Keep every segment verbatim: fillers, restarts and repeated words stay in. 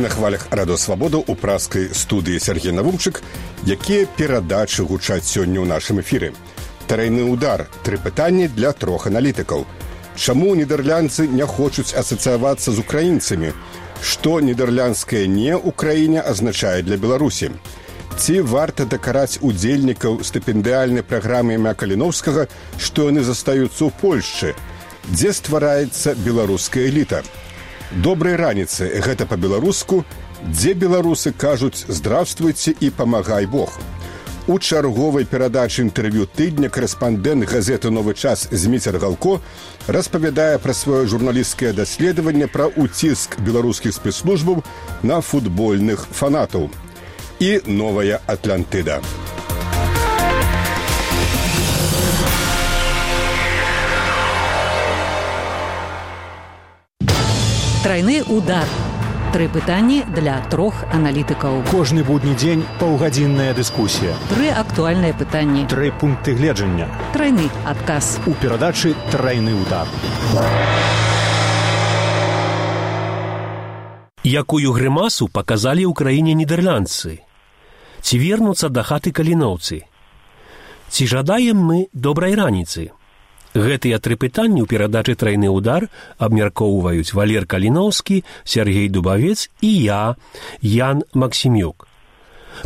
на хвалях радыёвабода ў праскай студыі Сергей Навумчык, якія перадачы гучаць сёння ў нашым эфіры. Трайны удар. Тры пытанні для трох аналітыкаў. Чаму нідерландцы не хочуць асацыявацца з украінцамі? Што нідерландскае «не» ў краіне азначае для Беларусі? Ці варта дакараць удзельнікаў стыпендыяльнай праграмы імя Каліноўскага, што яны застаюцца ў Польшчы? Дзе ствараецца беларуская эліта? Добрай раніцы, гэта па-беларуску, дзе беларусы кажуць «здравствуйте» і «памагай Бог». У чарговай перадачы інтэрв'ю тыдня корэспандэнт газеты «Новы час» Зміцер Галко распавядае пра сваё журналісцкае даследаванне пра ўціск беларускіх спецслужбаў на футбольных фанатаў. І новая Атлантыда. Трайны удар. Тры пытанні для трох аналітыкаў. Кожны будні дзень паўгадзінная дыскусія. Тры актуальныя пытанні. Тры пункты гледжання. Трайны адказ. У перадачы «Трайны удар». Якую грымасу паказалі ў краіне нідерландцы? Ці вернуцца да хаты каліноўцы? Ці жадаем мы добрай раніцы? Гэтыя тры пытанні ў перадачы «Трайны удар» абмяркоўваюць Валер Каліноўскі, Сергей Дубавец і я, Ян Максімюк.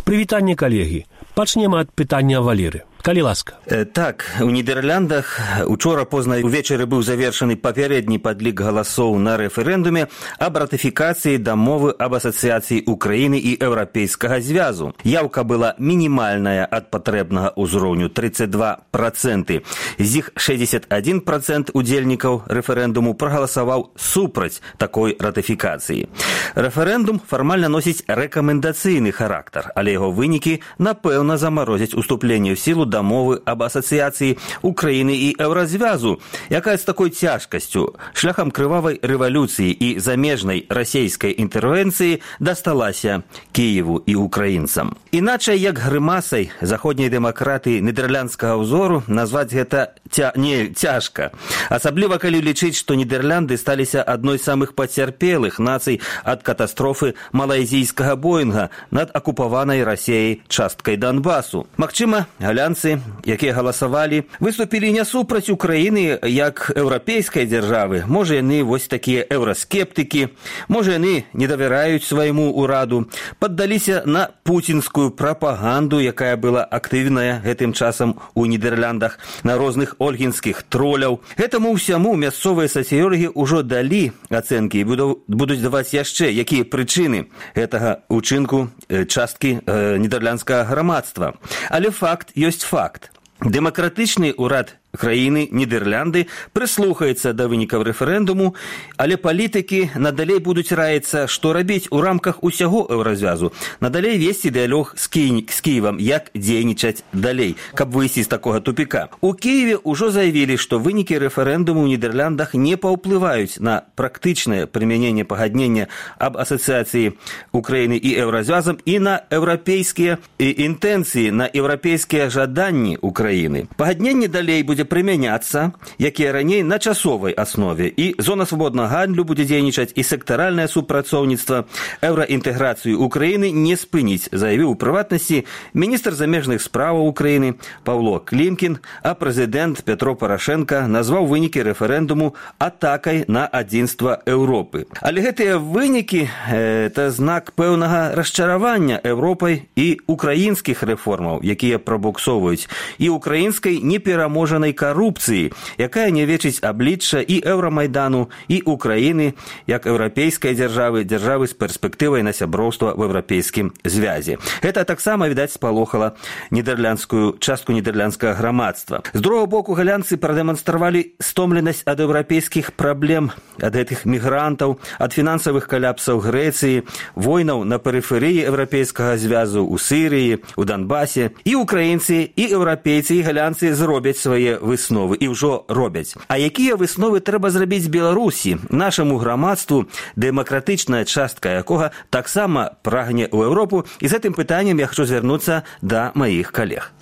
Прывітанне, калегі. Пачнем ад пытання Валеры. Калі ласка. Э, так, у Нідерландах учора позна ўвечары быў завершаны папярэдні падлік галасоў на рэферэндуме аб ратыфікацыі дамовы аб асацыяцыі Украіны і Еўрапейскага звязу. Яўка была мінімальная ад патрэбнага ўзроўню тридцать два проценты. З іх шестьдесят один процент удзельнікаў рэферэндуму прагаласаваў супраць такой ратыфікацыі. Рэферэндум фармальна носіць рэкамендацыйны характар, але яго вынікі, напэўна, замарозяць уступленне ў сілу дамовы аб асацыяцыі Украіны і Еўразвязу, якая з такой цяжкасцю, шляхам крывавай рэвалюцыі і замежнай расійскай інтэрвенцыі дасталася Кіеву і украінцам. Іначай, як грымасай заходняй дэмакратыі нідерландскага ўзору, назваць гэта ця... не цяжка. Асабліва, калі лічыць, што Нідерланды сталіся адной з самых пацярпелых нацый ад катастрофы малайзійскага Боінга над акупаванай Расіяй часткай Донбасу. Магчыма, галянцы, якія галасавалі, выступілі не супраць Украіны як еўрапейскай дзяржавы. Можа, яны вось такія еўраскептыкі, можа, яны не давяраюць свайму ўраду, паддаліся на пуцінскую прапаганду, якая была актыўная гэтым часам у Нідерландах, на розных ольгінскіх троляў. Гэтаму ўсяму мясцовыя сацыёлагі ўжо далі ацэнкі і будуць даваць яшчэ, якія прычыны гэтага ўчынку часткі э, нідерландскага грамадства. Але факт ёсць факт. Дэмакратычны ўрад краіны Нідерланды прыслухаецца да вынікаў рэферэндуму, але палітыкі надалей будуць раіцца, што рабіць у рамках усяго еўразвязу, надалей весці дыялог з, Кі... з Кіевам, як дзейнічаць далей, каб выйсці з такога тупіка. У Кіеве ўжо заявілі, што вынікі рэферэндуму ў Нідерландах не паўплываюць на практычнае прымяненне пагаднення аб асацыяцыі Украіны і Еўразвязам і на еўрапейскія інтэнцыі, на еўрапейскія жаданні Украіны. Пагадненне далей будзе прымяняцца, якія раней на часовай аснове, і зона свабоднага гандлю будзе дзейнічаць, і сектаральнае супрацоўніцтва, еўраінтэграцыю Украіны не спыніць, заявіў у прыватнасці міністр замежных справаў Украіны Паўло Клімкін, а прэзідэнт Петро Парашенка назваў вынікі рэферэндуму атакай на адзінства Еўропы. Але гэтыя вынікі – это знак пэўнага расчаравання Еўропай і украінскіх рэформаў, якія прабуксоўваюць, і украінскай непераможанай карупцыі, якая нявечыць аблічча і Еўрамайдану, і Украіны, як еўрапейскай дзяржавы, дзяржавы з перспектывай на сяброўства в еўрапейскім звязе. Гэта таксама, відаць, спалохала нідерландскую частку нідерландскага грамадства. З другого боку, галянцы прадэманстравалі стомленасць ад еўрапейскіх праблем, ад гэтых мігрантаў, ад фінансавых каляпсаў Грэцыі, войнаў на перыферыі еўрапейскага звязу ў Сірыі, у Донбасе. І украінцы, і еўрапейцы, і галянцы зробяць свае высновы і ўжо робяць. А якія высновы трэба зрабіць Беларусі, нашаму грамадству, дэмакратычная частка якога таксама прагне ў Еўропу, і з гэтым пытаннем я хочу звярнуцца да маіх калег.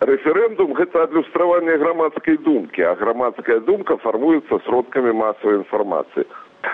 Рэферэндум – гэта адлюстраванне грамадскай думкі, а грамадская думка фармуецца сродкамі масавай інфармацыі.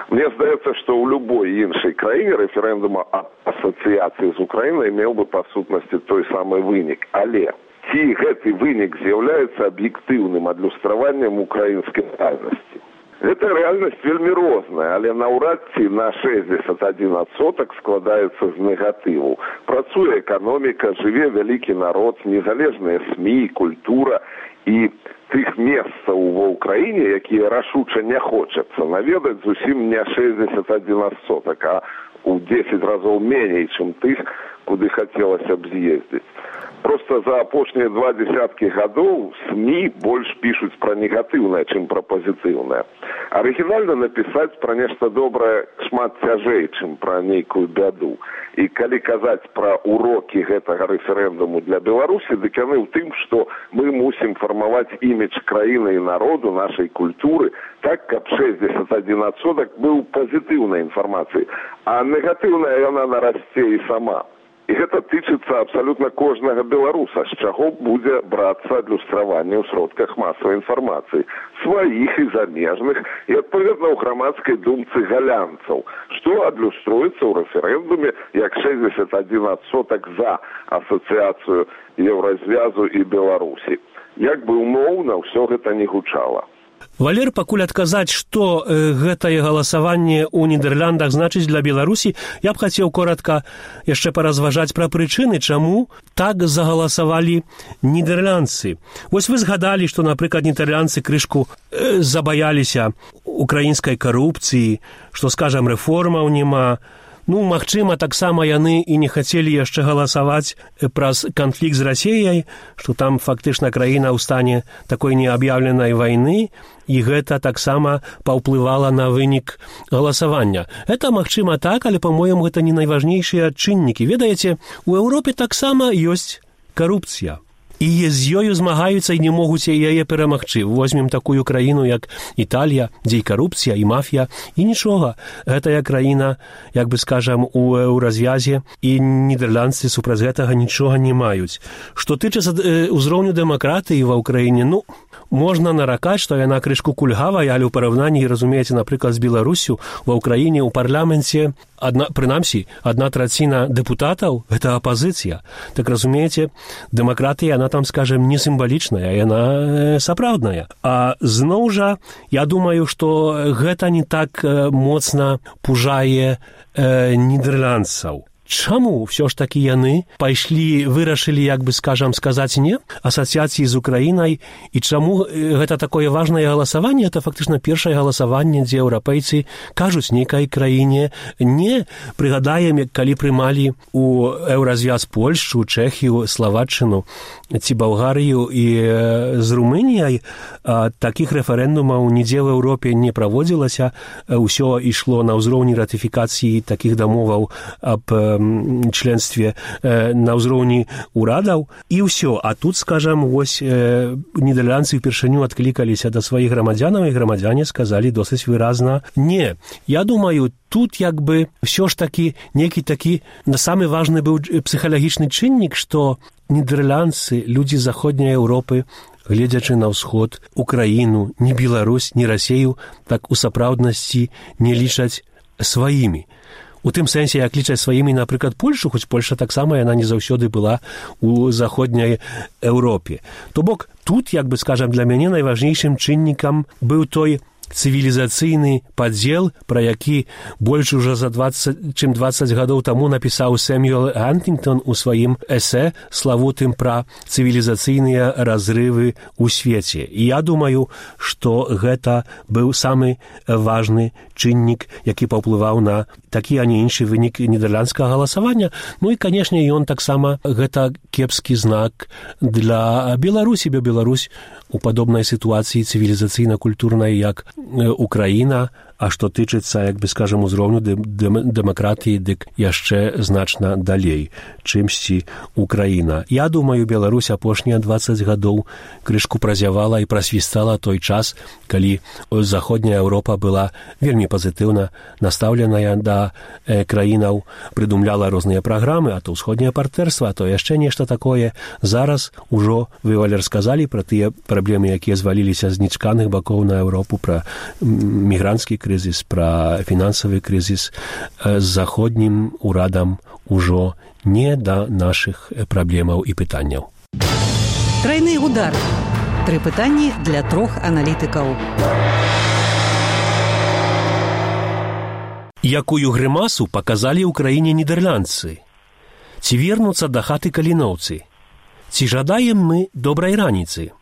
Мне здаецца, што ў любой іншай краіне рэферэндума аб асацыяцыі з Украінай меў бы па сутнасці той самы вынік. Але ці гэты вынік з'яўляецца аб'ектыўным адлюстраваннем украінскай рэальнасці? Гэта рэальнасць вельмі розная, але наўрад ці на шэсцьдзесят адзін адсотак складаецца з негатыву. Працуе эканоміка, жыве вялікі народ, незалежныя СМІ, культура і тых месцаў ва ўкраіне, якія рашуча не хочацца наведаць, зусім не шэсцьдзесят адзін адсотак, а ў дзесяць разоў меней, чым тых, куды хацелася б з'ездзіць. Проста за апошнія два дзесяткі гадоў СМІ больш пішуць пра негатыўнае, чым пра пазітыўнае. Арыгінальна напісаць пра нешта добрае шмат цяжэй, чым пра нейкую бяду. І калі казаць пра урокі гэтага рэферэндуму для Беларусі, дык яны ў тым, што мы мусім фармаваць імідж краіны і народу, нашай культуры, так, каб шэсцьдзесят адзін адсотак быў пазітыўнай інфармацыяй, а негатыўная яна нарасце і сама. І гэта тычыцца абсалютна кожнага беларуса, з чаго будзе брацца адлюстраванне ў сродках масавай інфармацыі, сваіх і замежных, і адпаведна ў грамадскай думцы галянцаў, што адлюструецца ў рэферэндуме як шэсцьдзесят адзін адсотак за асацыяцыю Еўразвязу і Беларусі. Як бы умоўна ўсё гэта не гучала. Валер, пакуль адказаць, што э, гэтае галасаванне ў Нідерландах значыць для Беларусі, я б хацеў коратка яшчэ паразважаць пра прычыны, чаму так загаласавалі нідерландцы. Вось вы згадалі, што, напрыклад, нідерландцы крышку э, забаяліся украінскай карупцыі, што, скажам, рэформаў няма. Ну, магчыма, таксама яны і не хацелі яшчэ галасаваць праз канфлікт з Расіяй, што там фактычна краіна ў стане такой неаб'яўленай вайны, і гэта таксама паўплывала на вынік галасавання. Гэта магчыма так, але, па-моему, гэта не найважнейшыя чыннікі. Ведаеце, у Еўропе таксама ёсць карупцыя. І з ёю змагаюцца і не могуць яе перамагчы. Возьмем такую краіну, як Італія, дзе і карупцыя, і мафія, і нічога. Гэтая краіна, як бы скажам, у развязе, і нідерландцы супраць гэтага нічога не маюць. Што тычыцца ўзроўню дэмакратыі ва ўкраіне, ну, можна наракаць, што яна крышку кульгавая, але ў параўнанні, разумееце, напрыклад, з Беларусю, ва ўкраіне ў парламенце, адна, прынамсі, адна траціна дэпутатаў – гэта апазіцыя. Так, разумееце, дэмакратыя, яна там, скажем, не сімвалічная, яна сапраўдная. А зноў жа, я думаю, што гэта не так моцна пужае э, нідерландцаў. Чаму ўсё ж такі яны пайшлі, вырашылі, як бы, скажам, сказаць не асацыяцыі з Украінай, і чаму гэта такое важнае галасаванне? Это фактычна першае галасаванне, дзе еўрапейцы кажуць нейкай краіне не. Прыгадаем, калі прымалі у Еўразвяз Польшчу, Чэхію, Славаччыну ці Балгарыю і з Румыніяй, такіх рэферэндумаў нідзе в Еўропе не праводзілася, ўсё ішло на ўзроўні ратыфікацыі такіх дамоваў аб членстве э, на ўзроўні урадаў, і ўсё. А тут, скажам, вось э, нідерландцы ўпершыню адклікаліся да сваіх грамадзянаў, і грамадзяне сказалі досыць выразна не. Я думаю, тут як бы ўсё ж такі нейкі такі самы важны быў псіхалагічны чыннік, што нідерландцы, людзі заходняй Еўропы, гледзячы на ўсход, Украіну, ні Беларусь, ні Расею, так у сапраўднасці не лічаць сваімі. У тым сэнсе, як лічаць сваімі, напрыклад, Польшу, хоць Польша таксама яна не заўсёды была у заходняй Еўропе. То бок, тут, як бы, скажам, для мяне найважнейшым чыннікам быў той цывілізацыйны падзел, пра які больш ужо за дваццаць, чым дваццаць гадоў таму напісаў Сэмюэл Хантынгтон у сваім эсэ славутым пра цывілізацыйныя разрывы ў свеце. І я думаю, што гэта быў самы важны чыннік, які паўплываў на такі, а не іншы вынік нідерландскага галасавання. Ну і, канешне, ён таксама гэта кепскі знак для Беларусі, бо Беларусь у падобнай сітуацыі цывілізацыйна-культурнай, як Украіна, а што тычыцца, як бы, скажам, узроўню дэмакратыі, дык яшчэ значна далей, чымсьці Украіна. Я думаю, Беларусь апошнія дваццаць гадоў крышку празявала і прасвістала той час, калі заходняя Еўропа была вельмі пазітыўна настаўленая да э, краінаў, прыдумляла розныя праграмы, а то ўсходняе партнёрства, а то яшчэ нешта такое. Зараз ужо, вы, Валер, сказалі пра тыя праблемы, якія зваліліся з нечаканых бакоў на Еўропу, пра мігранцкі крызіс, крызіс, пра фінансавы крызіс з заходнім урадам ужо не да нашых праблемаў і пытанняў. Трайны удар. Тры пытанні для трох аналітыкаў. Якую грымасу паказалі ў краіне нідэрландцы? Ці вернуцца да хаты каліноўцы? Ці жадаем мы добрай раніцы?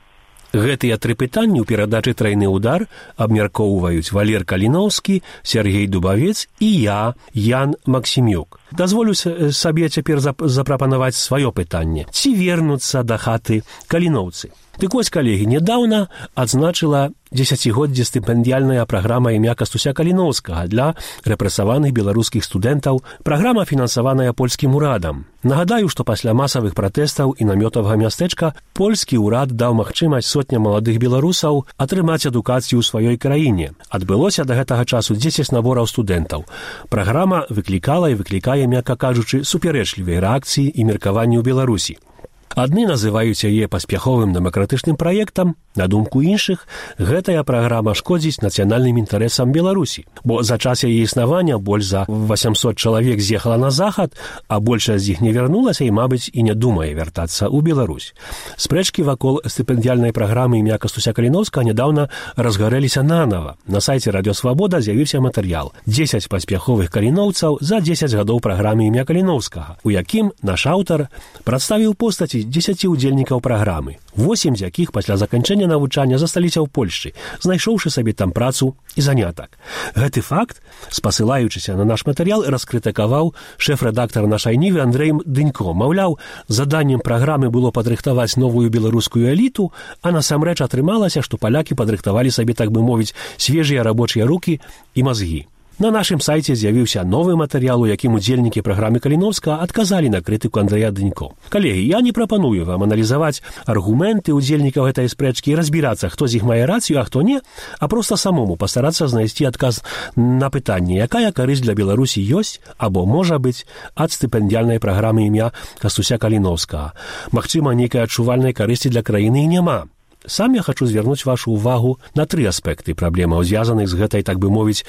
Гэтыя тры пытанні ў перадачы «Трайны удар» абмяркоўваюць Валер Каліноўскі, Сергей Дубавец і я, Ян Максімюк. Дазволю сабе цяпер запрапанаваць сваё пытанне. Ці вернуцца да хаты каліноўцы? Дык вось, калегі, нядаўна адзначыла дзесяцігоддзе стыпендыяльная праграма імя Кастуся Каліноўскага для рэпрэсаваных беларускіх студэнтаў. Праграма фінансаваная польскім урадам. Нагадаю, што пасля масавых пратэстаў і намётавага мястэчка польскі ўрад даў магчымасць сотням маладых беларусаў атрымаць адукацыю ў сваёй краіне. Адбылося да гэтага часу дзесяць набораў студэнтаў. Праграма выклікала і выклікае, мякка кажучы, супярэчлівыя рэакцыі і меркаванні ў Беларусі. Адны называюць яе паспяховым дэмакратычным праектам, на думку іншых, гэтая праграма шкодзіць нацыянальным інтарэсам Беларусі, бо за час яе існавання больш за васямсот чалавек з'ехала на захад, а большасць з іх не вярнулася і, мабыць, і не думае вяртацца ў Беларусь. Спрэчкі вакол стыпендыяльнай праграмы імя Кастуся Каліноўскага нядаўна разгарэліся нанава. На сайце «Радыёсвабода» з'явіўся матэрыял «дзесяць паспяховых каліноўцаў за дзесяць гадоў праграмы імя Каліноўскага», у якім наш аўтар прадставіў постаці дзесяці удзельнікаў праграмы, восем з якіх пасля заканчэння навучання засталіся ў Польшчы, знайшоўшы сабе там працу і занятак. Гэты факт, спасылаючыся на наш матэрыял, раскрытыкаваў шэф-рэдактар нашай нівы Андрэй Дынько. Маўляў, заданнем праграмы было падрыхтаваць новую беларускую эліту, а насамрэч атрымалася, што палякі падрыхтавалі сабе, так бы мовіць, свежыя рабочыя рукі і мазгі. На нашым сайце з'явіўся новы матэрыял, у якім удзельнікі праграмы Каліноўскага адказалі на крытыку Андрэя Дынько. Калегі, я не прапаную вам аналізаваць аргументы удзельнікаў гэтай спрэчкі і разбірацца, хто з іх мае рацыю, а хто не, а проста самому пастарацца знайсці адказ на пытанне, якая карысць для Беларусі ёсць або можа быць ад стыпендыяльнай праграмы імя Кастуся Каліноўскага. Магчыма, нейкай адчувальнай карысці для краіны і няма. Сам я хачу звярнуць вашу ўвагу на тры аспекты праблемаў, звязаных з гэтай, так бы мовіць,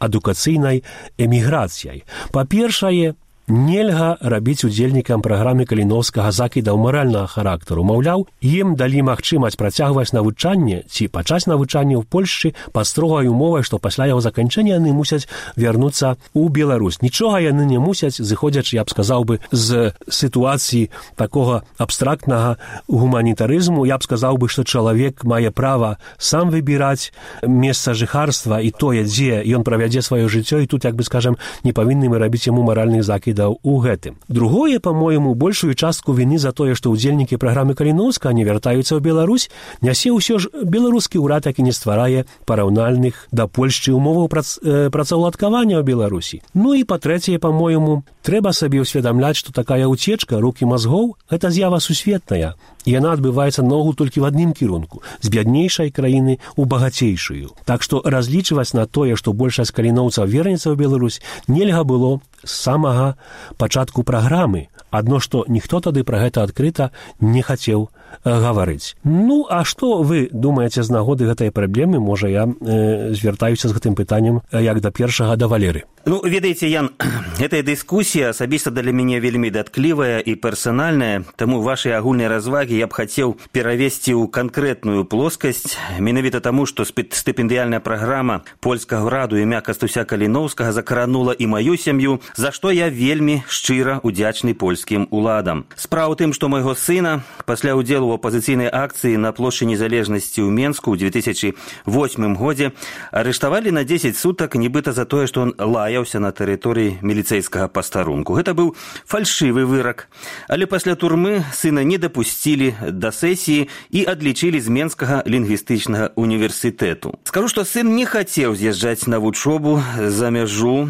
адукацыйнай эміграцыяй. Па-першае, нельга рабіць удзельнікам праграмы Каліноўскага закідаў маральнага характару. Маўляў, ім далі магчымасць працягваць навучанне ці пачаць навучанне ў Польшчы па строгай умовай, што пасля яго заканчэння яны мусяць вярнуцца ў Беларусь. Нічога яны не мусяць, зыходзячы, я б сказаў бы, з сітуацыі такога абстрактнага гуманітарызму. Я б сказаў бы, што чалавек мае права сам выбіраць месца жыхарства і тое, дзе ён правядзе сваё жыццё, і тут, як бы скажам, не павінны мы рабіць яму маральных закідаў у гэтым. Другое, па-моему, большую частку віны за тое, што ўдзельнікі праграмы Каліноўскага не вяртаюцца ў Беларусь, нясе ўсё ж беларускі ўрад, які не стварае параўнальных да Польшчы умоваў прац, э, працаўладкавання ў Беларусі. Ну і па-трэцяе, па-моему, трэба сабе ўсведамляць, што такая ўцечка рук і мазгоў – гэта з'ява сусветная, і яна адбываецца ногу толькі в адным кірунку – з бяднейшай краіны ў багацейшую. Так што разлічваць на тое, што большасць каліноўцаў вернецца ў Беларусь, нельга было з самага пачатку праграмы. Адно, што ніхто тады пра гэта адкрыта не хацеў гаварыць. Ну, а што вы думаеце з нагоды гэтай праблемы? Можа, я э, звяртаюся з гэтым пытаннем як да першага да Валеры. Ну, ведаеце, Ян, гэтая дыскусія асабіста для мяне вельмі датклівая і персанальная, таму вашай агульнай развагі я б хацеў перавесці ў канкрэтную плоскасць, менавіта таму, што стыпендыяльная праграма польскага ўраду імя Кастуся Каліноўскага закранула і маю сям'ю, за што я вельмі шчыра удзячны польскім уладам. Справа ў тым, што майго сына пасля ўдзелу ў апазіцыйнай акцыі на плошчы незалежнасці ў Менску ў две тысячы восьмым годзе арыштавалі на дзесяць сутак, нібыта за тое, што он лаяўся на тэрыторыі міліцэйскага пастарунку. Гэта быў фальшывы вырак. Але пасля турмы сына не дапусцілі да сесіі і адлічылі з Менскага лінгвістычнага універсітэту. Скажу, што сын не хацеў з'язджаць на вучобу за мяжу,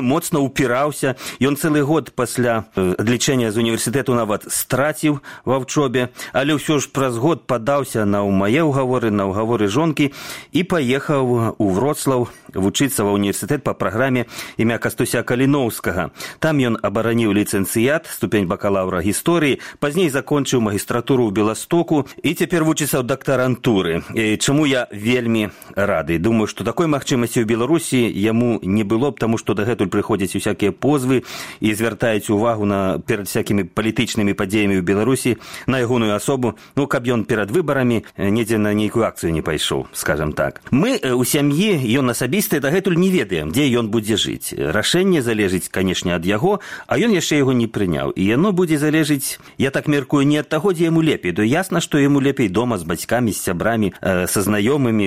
моцна ўпіраўся упіраўся. Ён цэлы год пасля адлічэння з універсітэту нават страціў ва вучобе, але ўсё ж праз год падаўся на мае ўгаворы, на ўгаворы жонкі і паехаў у Вроцлаў вучыцца ва універсітэт па праграме імя Кастуся Каліноўскага. Там ён абараніў ліцэнцыят, ступень бакалаўра гісторыі, пазней закончыў магістратуру ў Беластоку і цяпер вучыцца ў дактарантуры. І чаму я вельмі рады. Думаю, што такой магчымасці ў Беларусі яму не было б, таму што дагэтуль прыходзяць усякія позвы і звяртаюць увагу на перад всякімі палітычнымі падзеямі ў Беларусі на ягоную асобу, ну, каб ён перад выбарамі недзе на нейкую акцыю не пайшоў, скажам так. Мы у сям'і, ён асабіста дагэтуль не ведаем, дзе ён будзе жыць. Рашэнне залежыць, канешне, ад яго, а ён яшчэ яго не прыняў. І яно будзе залежыць, я так меркую, не ад таго, дзе яму лепей. То ясна, што яму лепей дома з бацькамі, з сябрамі, са знаёмымі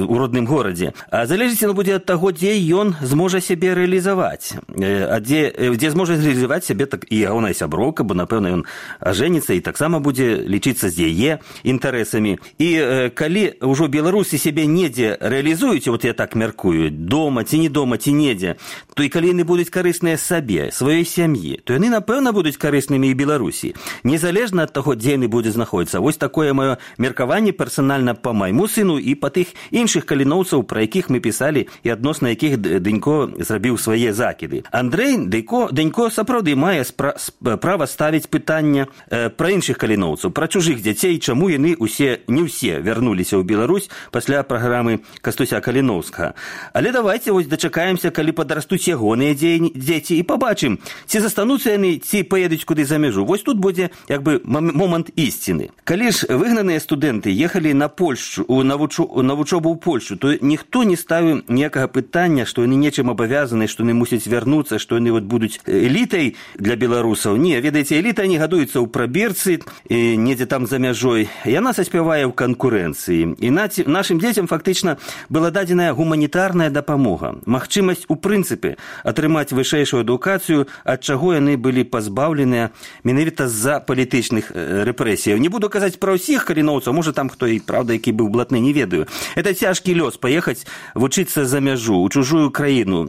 у родным горадзе. А залежыць яно будзе ад таго, дзе ён зможа сябе рэалізаваць. А дзе, дзе зможа рэалізаваць сябе так і ягоная сяброўка, бо, напэўна, ён ажэніцца і таксама будзе лічыцца з яе інтарэсамі. І э, калі ўжо беларусы сябе недзе рэалізуюць, вот я так меркую, дома ці не дома, ці недзе, то і калі яны будуць карысныя сабе, сваёй сям'і, то яны, напэўна, будуць карыснымі і Беларусі. Незалежна ад таго, дзе яны будуць знаходзіцца. Вось такое маё меркаванне персанальна па майму сыну і па тых іншых каліноўцаў, пра якіх мы пісалі і адносна якіх Дэнько зрабіў свае закіды. Андрэй Дэнько, Дэнько сапраўды мае спра- права ставіць пытання э, пра іншых каліноўцаў, пра чужых дзяцей, чаму яны усе, не ўсе вярнуліся ў Беларусь пасля праграмы Кастуся Каліноўскага. Але давайте вось дачакаемся, калі падрастуць ягоныя дзеці і пабачым, ці застануцца яны, ці паедуць куды за мяжу. Вось тут будзе як бы момант ісціны. Калі ж выгнаныя студэнты ехалі на Польшчу, на вучобу ў Польшчу, то ніхто не ставіў ніякага пытання, што яны нечым абавязаны, што яны мусяць вярнуцца, што яны вот будуць элітай для беларусаў. Не, ведаеце, эліта не гадуецца ў прабірцы, недзе там за мяжой. Яна саспявае ў канкурэнцыі. І нашым дзецям фактычна была дадзеная гуманітарная дапамога. Магчымасць у прынцыпе атрымаць вышэйшую адукацыю, ад чаго яны былі пазбаўленыя менавіта з-за палітычных рэпрэсіяў. Не буду казаць пра ўсіх каліноўцаў, можа там хто і правда, які быў блатны, не ведаю. Это цяжкі лёс паехаць вучыцца за мяжу, у чужую краіну.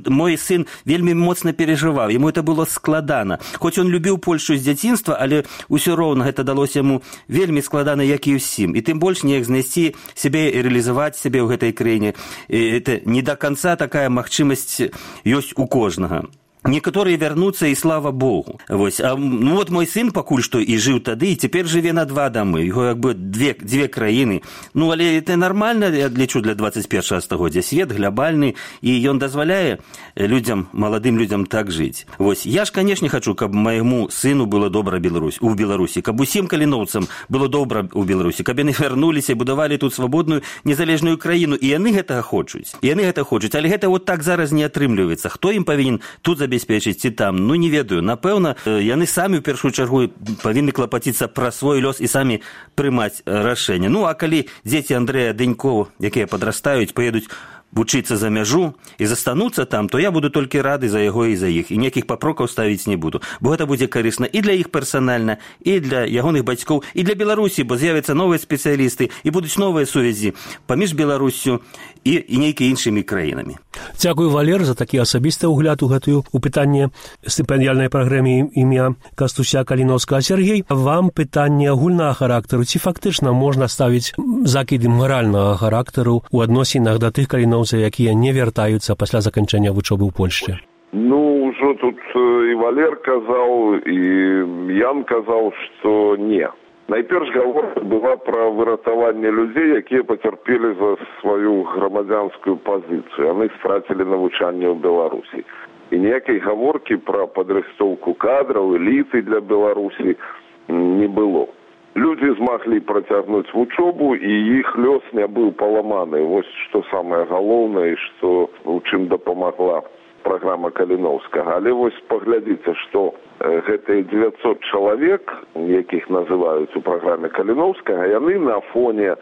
Мой сын вельмі моцна перажываў, яму это было складана. Хоць ён любіў Польшу з дзяцінства, але ўсё роўна гэта далося яму вельмі складана, як і ўсім. І тым больш неяк знайсці сябе і рэалізаваць сябе ў гэтай краіне. Это не да канца такая магчымасць ёсць у кожнага. Некаторыя вярнуцца, і слава Богу. Вось. А, ну, вот мой сын пакуль што і жыў тады, і цяпер жыве на два дамы. Яго як бы две, две краіны. Ну, але это нармальна, я лічу, для двадцать першага стагоддзя. Свет глобальны, і ён дазваляе людзям, маладым людзям так жыць. Вось. Я ж, канешне, хачу, каб майму сыну было добра Беларусь, у Беларусі, каб усім каліноўцам было добра ў Беларусі, каб яны вярнуліся і будавалі тут свабодную, незалежную краіну. І яны гэтага хочуць. І яны гэта хочуць. Але гэта вот так зараз не атрымліваецца. Хто ім павінен тут забезпечыць ці там, ну не ведаю. Напэўна, яны самі ў першую чаргу павінны клапаціцца пра свой лёс і самі прымаць рашэнне. Ну, а калі дзеці Андрэя Дэнько, якія падрастаюць, паедуць вучыцца за мяжу і застануцца там, то я буду толькі рады за яго і за іх. І ніякіх папрокаў ставіць не буду. Бо гэта будзе карысна і для іх персанальна, і для ягоных бацькоў, і для Беларусі, бо з'явяцца новыя спецыялісты, і будуць новыя сувязі паміж Беларуссю і, і нейкімі іншымі краінамі. Дзякую, Валер, за такі асабісты ўгляд у гэтую у пытанне стыпендыяльнай праграме імя Кастуся Каліноўскага. Сергей, вам пытанне агульнага характару. Ці фактычна можна ставіць закіды маральнага характару у адносінах да тых каліноўцаў, якія не вяртаюцца пасля заканчэння вучобы ў Польшчы? Ну, ўжо тут і Валер казаў, і Ян казаў, што не. Найперш гаворка была пра выратаванне людзей, якія пацярпелі за сваю грамадзянскую пазіцыю. Яны страцілі навучанне ў Беларусі. І ніякай гаворкі пра падрыхтоўку кадраў, эліты для Беларусі не было. Людзі змаглі працягнуць вучобу, і іх лёс не быў паламаны. Вось што самае галоўнае, што у чым дапамагла праграма Каліноўскага. Але вось паглядзіце, што гэтыя дзевяцьсот чалавек, якіх называюць у праграме Каліноўскага, яны на фоне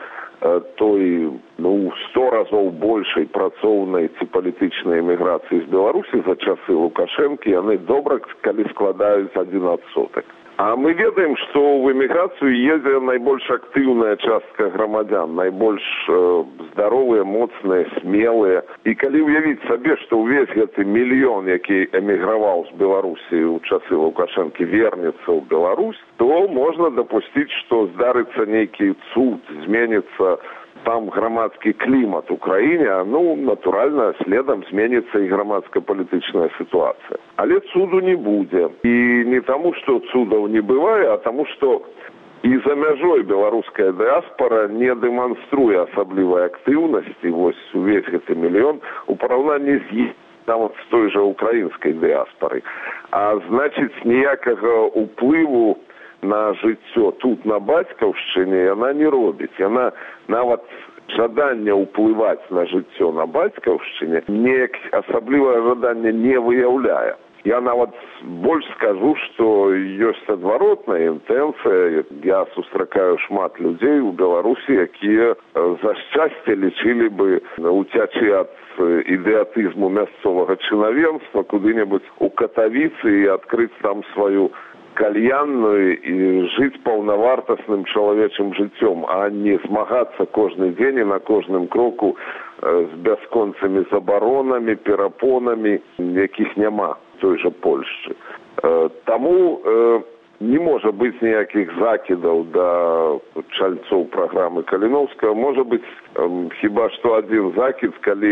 той, ну, сто разоў большай працоўнай ці палітычнай эміграцыі з Беларусі за часы Лукашэнкі, яны добра, калі складаюць адзін адсотак. А мы ведаем, што ў эміграцыю едзе найбольш актыўная частка грамадзян, найбольш э, здаровыя, моцныя, смелыя. І калі ўявіць сабе, што ўвесь гэты мільён, які эміграваў з Беларусі ў часы Лукашэнкі, вернецца ў Беларусь, то можна дапусціць, што здарыцца нейкі цуд, зменіцца там грамадскі клімат у краіне, а, ну, натуральна, следам зменіцца і грамадска-палітычная сітуацыя. Але цуду не будзе. І не таму, што цудаў не бывае, а таму, што і за мяжой беларуская дыаспара не дэманструе асаблівай актыўнасці, вось увесь гэты мільён, у параўнанні з нават з той жа украінскай дыаспарай. А значыць, ніякага ўплыву на жыццё тут, на бацькаўшчыне, яна не робіць. Яна нават жаданне ўплываць на жыццё на бацькаўшчыне неяк асаблівае жаданне не выяўляе. Я нават больш скажу, што ёсць адваротная інтэнцыя. Я сустракаю шмат людзей у Беларусі, якія за шчасце лічылі бы уцячы ад ідэатызму мясцовага чынавенства куды-небудзь у Катавіцы і адкрыць там сваю кальянную і жыць паўнавартасным чалавечым жыццём, а не змагацца кожны дзень і на кожным кроку з бясконцымі забаронамі, перапонамі, якіх няма той жа Польшчы. Таму не можа быць ніякіх закідаў да чальцоў праграмы Каліноўскага. Можа быць хіба што адзін закід, калі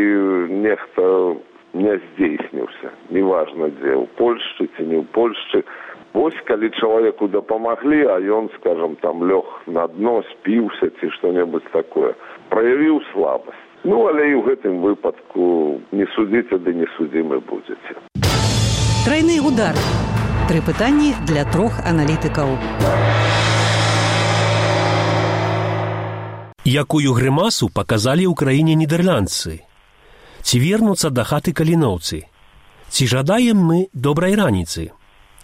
нехта не здзейсніўся. Неважна, дзе, у Польшчы ці не ў Польшчы. Вось калі чалавеку дапамаглі, а ён, скажам, там лёг на дно, спіўся ці што-небудзь такое, праявіў слабасць. Ну, але і ў гэтым выпадку не судзіце, ды не судзімы будзеце. Трайны удар. Тры пытанні для трох аналітыкаў. Якую грымасу паказалі ў краіне нідэрландцы? Ці вернуцца да хаты каліноўцы? Ці жадаем мы добрай раніцы?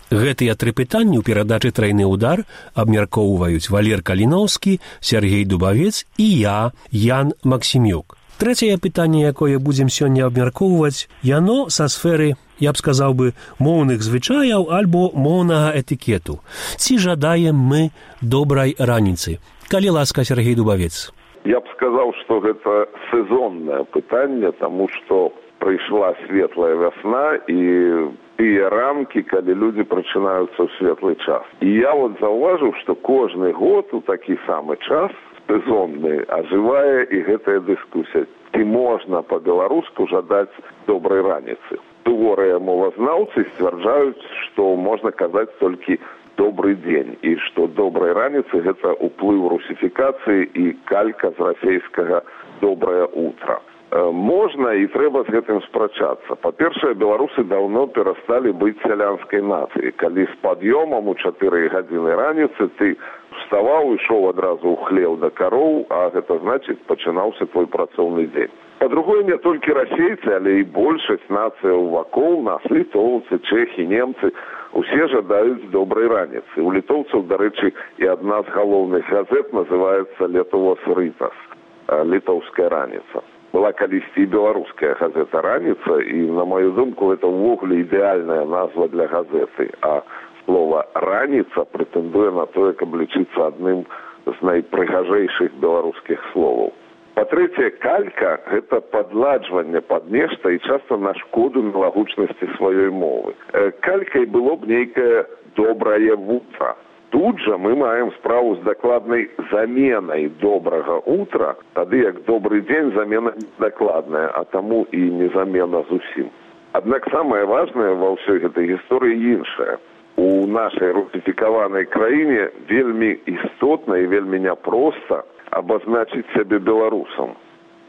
Гэтыя тры пытанні ў перадачы «Трайны удар» абмяркоўваюць Валер Каліноўскі, Сергей Дубавец і я, Ян Максімюк. Трэцяе пытанне, якое будзем сёння абмяркоўваць, яно са сферы, я б сказаў бы, моўных звычаяў альбо моўнага этыкету. Ці жадаем мы добрай раніцы? Калі ласка, Сергей Дубавец. Я б сказаў, што гэта сезоннае пытанне, таму што прыйшла светлая вясна і тыя рамкі, калі людзі прачынаюцца ў светлы час. І я вот заўважыў, што кожны год у такі самы час сезонны ажывае і гэтая дыскусія. Ці можна па-беларуску жадаць добрай раніцы? Суворыя мовазнаўцы сцвярджаюць, што можна казаць толькі добрый дзень, і што добрай раніцы гэта ўплыў русіфікацыі і калька з расейскага добрае утра. Можна і трэба з гэтым спрачацца. Па-першае, беларусы даўно перасталі быць сялянскай нацыяй. Калі з пад'ёмам у чатыры гадзіны раніцы ты вставаў, ішоў адразу ў хлеў да кароў, а гэта значыць пачынаўся твой працоўны дзень. Па-другое, не толькі расейцы, але і большасць нацыяў вакол, нас, літоўцы, чэхі, немцы, усе жадаюць добрай раніцы. У літоўцаў, дарэчы, і адна з галоўных газет называецца «Летувос Рытас», літоўская раніца. Была калісьці і беларуская газета «Раніца», і, на маю думку, гэта ўвогуле ідэальная назва для газеты, а слова «раніца» прэтэндуе на тое, каб лічыцца адным з найпрыгажэйшых беларускіх словаў. Па-трэцяе, калька – гэта падладжванне пад нешта і часта на шкоду мілагучнасці сваёй мовы. Калькай было б нейкае добрае вутра. Тут жа мы маем справу з дакладнай заменай добрага утра, тады як добры дзень замена дакладная, а таму і не замена зусім. Аднак самае важнае ва ўсёй гэтай гісторыі іншае. У нашай русіфікаванай краіне вельмі істотна і вельмі няпроста абазначыць сябе беларусам.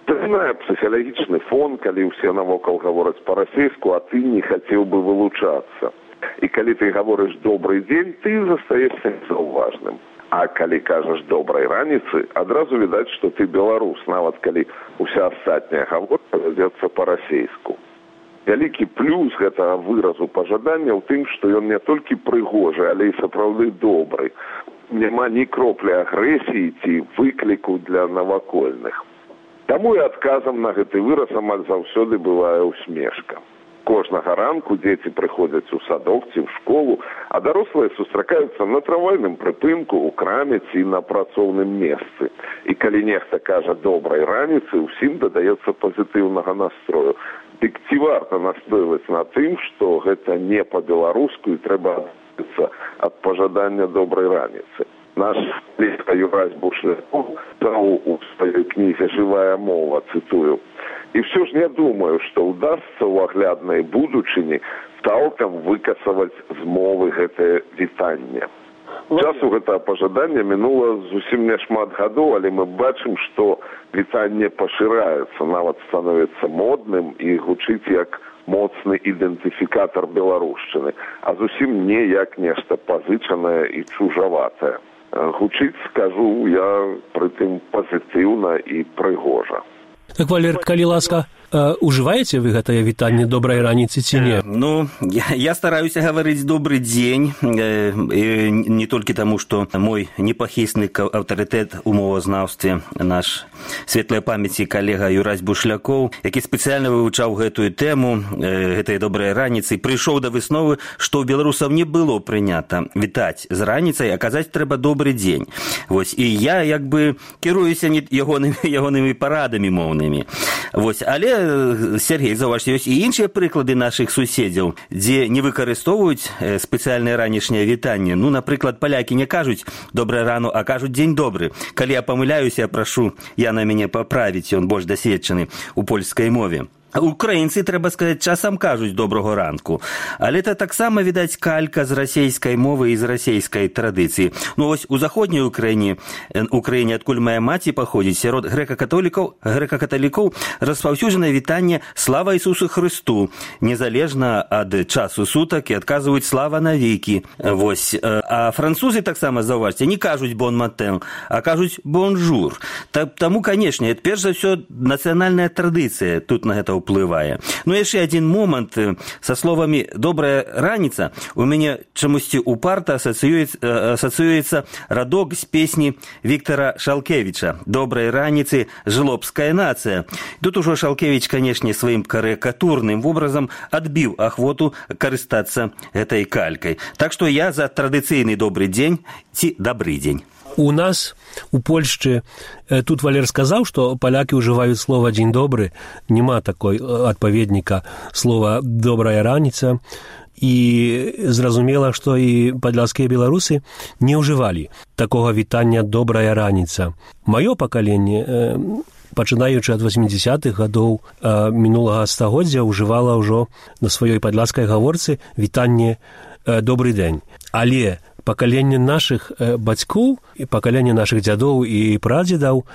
Трымае псіхалагічны фон, калі ўсе навокал гавораць па-расейску, а ты не хацеў бы вылучацца. І калі ты гаворыш «добрый дзень», ты застаешся незаўважным. А калі кажаш «добрай раніцы», адразу відаць, што ты беларус, нават калі ўся астатняя гаворка вядзецца па-расейску. Вялікі плюс гэтага выразу пажадання ў тым, што ён не толькі прыгожы, але і сапраўды добры. Няма ні кроплі агрэсіі ці выкліку для навакольных. Таму і адказам на гэты выраз амаль заўсёды бывае усмешка. кожнага ранку дзеці прыходзяць у садок ці ў школу, а дарослыя сустракаюцца на трамвайным прыпынку, у краме ці на працоўным месцы. І калі нехта кажа добрай раніцы, усім дадаецца пазітыўнага настрою. Дык ці варта настойваць на тым, што гэта не па-беларуску і трэба адмовіцца ад пажадання добрай раніцы. Наш ліка Юрась Бушлякоў даў у сваёй кнізе «Жывая мова», цытую, «І все ж не думаю, што ўдасца ў агляднай будучыні цалкам выкасаваць з мовы гэтае вітанне». Часу гэтага пажадання мінула зусім няшмат гадоў, але мы бачым, што вітанне пашыраецца, нават становіцца модным і гучыць як моцны ідэнтыфікатар беларушчыны, а зусім не як нешта пазычанае і чужаватае. Гучыць, скажу я, прытым пазітыўна і прыгожа. Так, Валер, калі ласка, ужываеце вы гэтае вітанне добрай раніцы ці не? Ну, я, я стараюся гаварыць добры дзень, э, э, не толькі таму, што мой непахісны аўтарытэт у мовазнаўстве, наш светлай памяці калега Юрась Бушлякоў, які спецыяльна вывучаў гэтую тэму, э, гэтай добрай раніцы, прыйшоў да высновы, што ў беларусаў не было прынята вітаць з раніцай, а казаць трэба добры дзень. Вось, і я як бы кіруюся не ягонымі, ягонымі парадамі моўнымі. Вось, але Сергей, заўважце, ёсць і іншыя прыклады нашых суседзяў, дзе не выкарыстоўваюць спецыяльнае ранішняе вітанне. Ну, напрыклад, палякі не кажуць «добрае рану», а кажуць «дзень добры». Калі я памыляюся, я прашу Яна мяне паправіць, ён больш дасведчаны ў польскай мове. Украінцы, трэба сказаць, часам кажуць «добрага ранку». Але это таксама, відаць, калька з расейскай мовы і з расейскай традыцыі. Ну, вось у заходняй Украіне, Украіне, адкуль моя маці паходзіць, сярод грэка-католікаў, грэка-каталікоў распаўсюджанае вітанне «Слава Ісусу Христу», незалежна ад часу сутак, і адказваюць «Слава навекі». Вось. А французы таксама, заўважце, не кажуць «бон матэн», а кажуць «бонжур». Таму, канешне, перш за ўсё нацыянальная традыцыя тут на гэта ўплывае. Ну, яшчэ адзін момант. Са словамі «добрая раніца» у мяне чамусьці упарта асацыюецца, асацыюецца радок з песні Віктара Шалкевіча «Добрай раніцы, жлобская нацыя». Тут ужо Шалкевіч, канешне, сваім карыкатурным вобразам адбіў ахвоту карыстацца гэтай калькай. Так што я за традыцыйны добры дзень ці дабры дзень. У нас, у Польшчы, тут Валер сказаў, што палякі ўжываюць слова «дзень добры», няма такой адпаведніка слова «добрая раніца», і зразумела, што і падляшскія беларусы не ўжывалі такога вітання «добрая раніца». Маё пакаленне, пачынаючы ад восьмідзясятых гадоў мінулага стагоддзя, ўжывала ўжо на сваёй падляшскай гаворцы вітанне «добры дзень». Але пакаленне нашых бацькоў і пакаленне нашых дзядоў і прадзедаў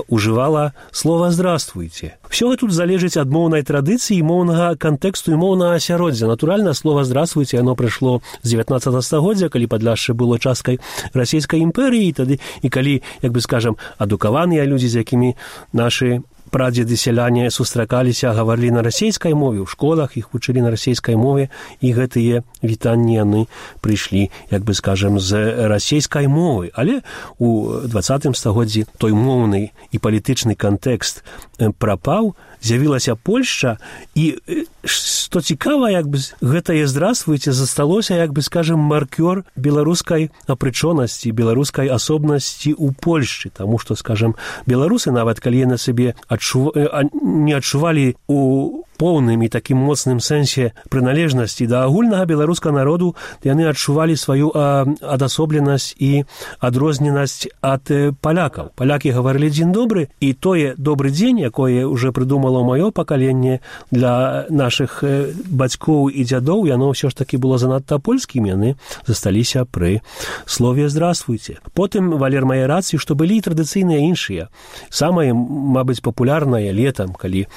ужывала слова «здравствуйте». Всё тут залежыць ад моўнай традыцыі, моўнага кантэксту і моўнага асяроддзя. Натуральна, слова «здравствуйте» яно прыйшло з дзевятнаццатага стагоддзя, калі Падляшша было часткай расійскай імперыі, і тады і калі, як бы скажам, адукаваныя людзі, з якімі нашы прадзеды сяляне сустракаліся, гаварылі на расейскай мове, ў школах іх вучылі на расейскай мове, і гэтыя вітанні яны прыйшлі, як бы скажам, з расейскай мовы. Але у дваццатым стагоддзі той моўны і палітычны кантэкст прапаў, з'явілася Польшча, і што цікава, як бы гэтае «здравствуйте» засталося, як бы скажам, маркёр беларускай апрычонасці, беларускай асобнасці ў Польшчы, таму што, скажам, беларусы, нават калі яны сабе адчув... не адчувалі у поўным і такім моцным сэнсе прыналежнасці да агульнага беларускага народу, яны адчувалі сваю а, адасобленасць і адрозненасць ад э, палякаў. Палякі гаварылі «дзень добры», і тое «добры дзень», якое ўжо прыдумало маё пакаленне для нашых э, бацькоў і дзядоў, яно ўсё ж такі было занадта польскім, яны засталіся пры слове «здравствуйте». Потым Валер мае рацыю, што былі традыцыйныя іншыя. Самае, мабыць, папулярнае летам, калі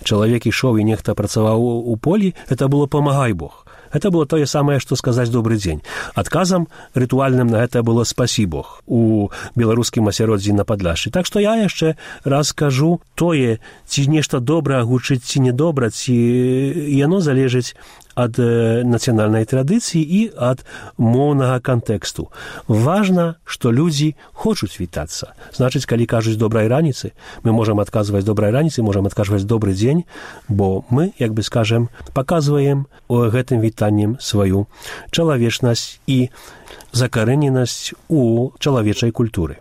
чалавек ішоў і нехта працаваў у полі, это было «памагай Бог». Это было тое самае, што сказаць «добры дзень». Адказам рытуальным на гэта было «спасі Бог» у беларускім асяроддзі на Падляшшы. Так што я яшчэ раз скажу, тое, ці нешта добра гучыць, ці недобра, ці яно залежыць ад нацыянальнай традыцыі і ад моўнага кантэксту. Важна, што людзі хочуць вітацца. Значыць, калі кажуць добрай раніцы, мы можам адказваць добрай раніцы, можам адказваць добры дзень, бо мы, як бы скажем, паказваем у гэтым вітаннем сваю чалавечнасць і закарэненасць у чалавечай культуры.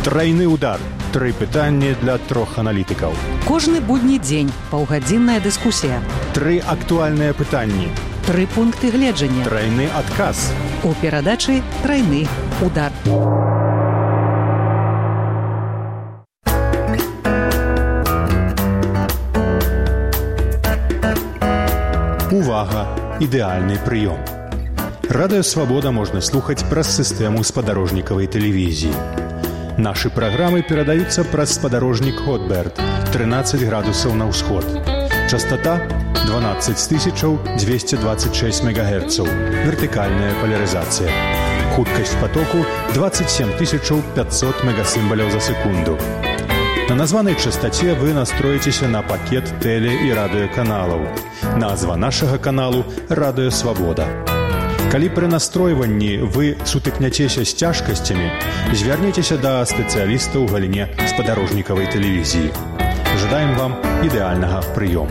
Трайны удар. Тры пытанні для трох аналітыкаў. Кожны будні дзень паўгадзінная дыскусія. Тры актуальныя пытанні. Тры пункты гледжання. Трайны адказ. У перадачы «Трайны удар». Увага! Ідэальны прыём. Радыё Свабода можна слухаць праз сістэму спадарожнікавай тэлевізіі. Нашы праграмы перадаюцца праз спадарожнік Хотберд, трынаццаць градусаў на ўсход. Частота дванаццаць тысяч двести двадцать шесть мегагерцаў. Вертыкальная полярызацыя. Хуткасць потоку двадцать семь тысяч пятьсот мегасімбаляў за секунду. На названай частоце вы настроіцеся на пакет тэле- і радыёканалаў. Назва нашага каналу «Радыё Свабода». Калі пры настройванні вы сутыкняцеся з цяжкасцямі, звярніцеся да спецыяліста ў галіне спадарожнікавай тэлевізіі. Жадаем вам ідэальнага прыёму.